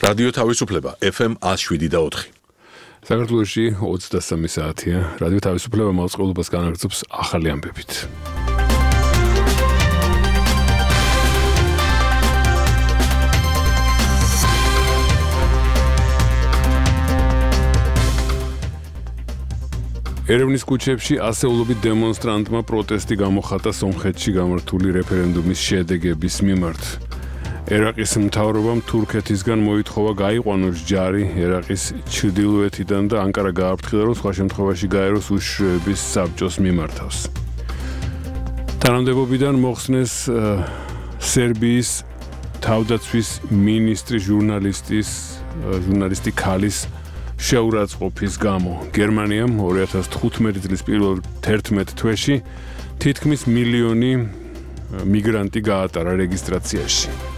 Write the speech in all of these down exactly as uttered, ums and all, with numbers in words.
რადიო თავისუფლება F M one oh seven და four. საქართველოში ოცდასამი საათია. რადიო თავისუფლება მოწყობილობას განაგრძობს ახალი ამბებით. ერევნის ქუჩებში ასეულობით დემონსტრანტმა პროტესტი გამოხატა სომხეთში გამართული რეფერენდუმის შედეგების მიმართ. ერაყის მთავრობამ თურქეთისგან მოითხოვა გაიყვანოს ჯარი ერაყის ჩრდილოეთიდან და ანკარა გააფრთხილა, რომ სხვა შემთხვევაში გაეროს უშიშროების საბჭოს მიმართავს. თანამდებობიდან მოხსნეს სერბიის თავდაცვის მინისტრი ჟურნალისტის ჟურნალისტი ქალის შეურაცხყოფის გამო. გერმანიამ ორი ათას თხუთმეტი წლის პირველ თერთმეტ თვეში თითქმის მილიონი მიგრანტი გაატარა რეგისტრაციაში.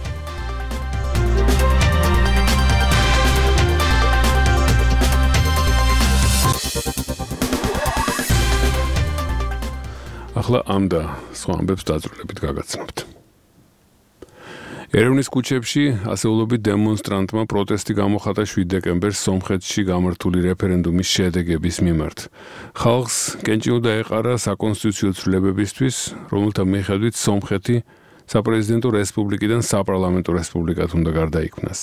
ახლა ამ და სხვა ამბებს დაწვრილებით გაგაცნობთ. ერევნის ქუჩებში ასეულობით დემონსტრანტმა პროტესტი გამოხატა შვიდ დეკემბერს სომხეთში გამართული რეფერენდუმის შედეგების მიმართ. ხალხს კენჭი უნდა ეყარა საკონსტიტუციო ცვლილებებისთვის, რომელთა მიხედვით სომხეთი საპრეზიდენტო რესპუბლიკიდან საპარლამენტო რესპუბლიკად უნდა გარდაიქმნას.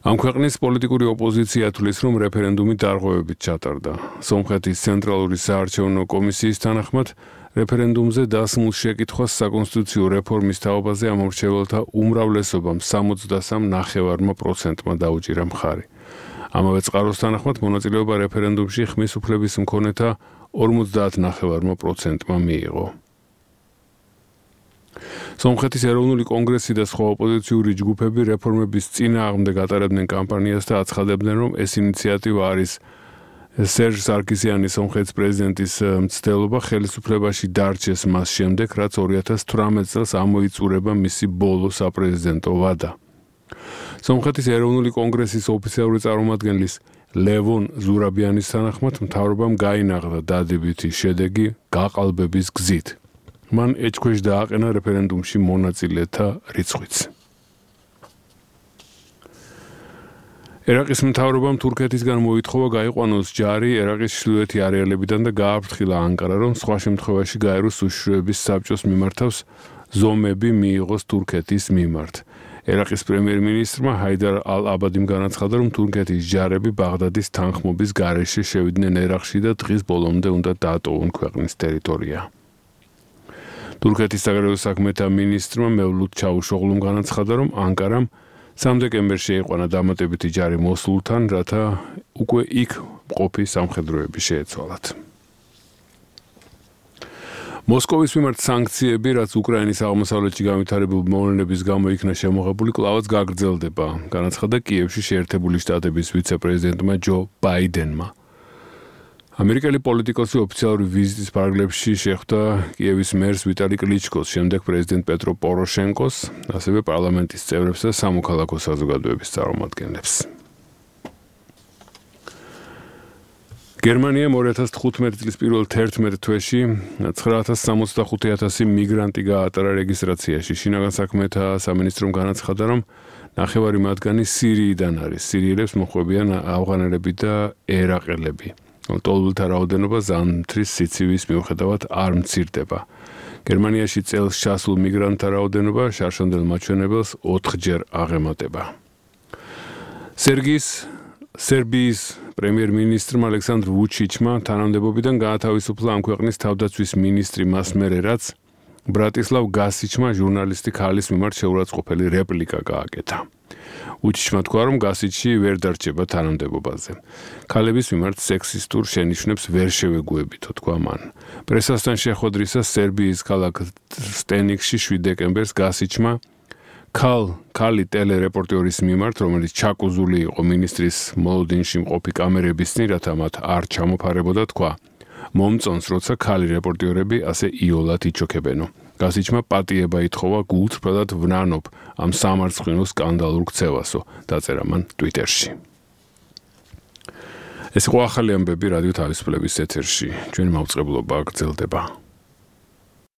ამ ქვეყნის პოლიტიკური ოპოზიცია თვლის, რომ რეფერენდუმი დარღვევებით ჩატარდა. სომხეთის ცენტრალური საარჩევნო კომისიის თანახმად რეფერენდუმზე დასმულ შეკითხვას საკონსტიტუციო რეფორმის თაობაზე ამორჩეველთა უმრავლესობამ სამოცდასამ ნახევარმა პროცენტმა დაუჭირა მხარი. ამავე წყაროს თანახმად მონაწილეობა რეფერენდუმში ხმის უფლების მქონეთა ორმოცდაათ ნახევარმა პროცენტმა მიიღო. სომხეთის ეროვნული კონგრესი და სხვა ოპოზიციური ჯგუფები რეფორმების წინააღმდეგ ატარებდნენ კამპანიას და აცხადებდნენ, რომ ეს ინიციატივა არის სერჟ სარკისიანის სომხეთის პრეზიდენტის მცდელობა ხელისუფლებაში დარჩეს მას შემდეგ, რაც ორი ათას თვრამეტ წელს ამოიწურება მისი ბოლო საპრეზიდენტო ვადა. სომხეთის ეროვნული კონგრესის ოფიციალური წარმომადგენლის ლევონ ზურაბიანის თანახმად მთავრობამ გაინაღდა დადებითი შედეგი გაყალბების გზით. მან ეჭქვეშ დააყენა რეფერენდუმში მონაწილეთა რიცხვიც. ერაყის მთავრობამ თურქეთისგან მოითხოვა გაიყვანოს ჯარი ერაყის ჩრდილოეთი არეალებიდან და გააფრთხილა ანკარა, რომ სხვა შემთხვევაში გაეროს უშიშროების საბჭოს მიმართავს ზომები მიიღოს თურქეთის მიმართ. ერაყის პრემიერ-მინისტრმა ჰაიდარ ალ-აბადიმ განაცხადა, რომ თურქეთის ჯარები ბაღდადის თანხმობის გარეშე შევიდნენ ერაყში და დღის ბოლომდე უნდა დაატოვონ ქვეყნის ტერიტორია. თურქეთის საგარეო საქმეთა მინისტრმა მევლუდ ჩავუშოღლუმ განაცხადა, რომ ანკარამ სამ დეკემბერში ეიყვანა დამატებითი ჯარი მოსულთან, რათა უკვე იქ მყოფი სამხედროები შეეცვალათ. მოსკოვის მიმართ სანქციები, რაც უკრაინის აღმოსავლეთში განვითარებულ მოვლენების გამო იქნა შემოღებული, კვლავაც გაგრძელდება, განაცხადა კიევში შეერთებული შტატების ვიცე-პრეზიდენტმა ჯო ბაიდენმა. ამერიკელი პოლიტიკოსი ოფიციალური ვიზიტის ფარგლებში შეხვდა კიევის მერს ვიტალი კლიჩკოს, შემდეგ პრეზიდენტ პეტრო პოროშენკოს, ასევე პარლამენტის წევრებს და სამოქალაქო საზოგადოების წარმომადგენლებს. გერმანიამ ორი ათას თხუთმეტი წლის პირველ თერთმეტ თვეში ცხრა ათას სამოცდახუთი ათასი მიგრანტი გაატარა რეგისტრაციაში. შინაგან საქმეთა სამინისტრომ განაცხადა, რომ ნახევარი მათგანი სირიიდან არის. სირიელებს მოჰყვებიან ავღანელები და ერაყელები. ტოლულთა რაოდენობა ზამთრის სიცივის მიუხედავად არ მცირდება. გერმანიაში წელს ჩასულ მიგრანტთა რაოდენობა შარშანდელ მაჩვენებელს ოთხჯერ აღემატება. სერგიის სერბიის პრემიერ-მინისტრმა ალექსანდრ ვუჩიჩმა თანამდებობიდან გაათავისუფლა ამ ქვეყნის თავდაცვის მინისტრი მას მერე, რაც ბრატისლავ გასიჩმა ჟურნალისტი ქალის მიმართ შეურაცხყოფელი რეპლიკა გააკეთა. უჩიჩმა თქვა, რომ გასიჩი ვერ დარჩება თანამდებობაზე. ქალების მიმართ სექსისტურ შენიშვნებს ვერ შევეგუებითო, თქვა მან. პრესასთან შეხვედრისას სერბიის ქალაქ სტენიკში შვიდ დეკემბერს გასიჩმა ქალ ქალი ტელერეპორტიორის მიმართ, რომელიც ჩაკუზული იყო მინისტრის მოლოდინში მყოფი კამერების წინ, რათა მათ არ ჩამოფარებოდა, თქვა, მომწონს, როცა ქალი რეპორტიორები ასე იოლად იჩოქებენო. გასიჩმა პატიება ითხოვა გულწრფელად ვნანობ ამ სამარცხვინო სკანდალურ ქცევასო, დაწერა მან ტვიტერში. ეს იყო ახალი ამბები რადიო თავისუფლების ეთერში. ჩვენი მაუწყებლობა გრძელდება.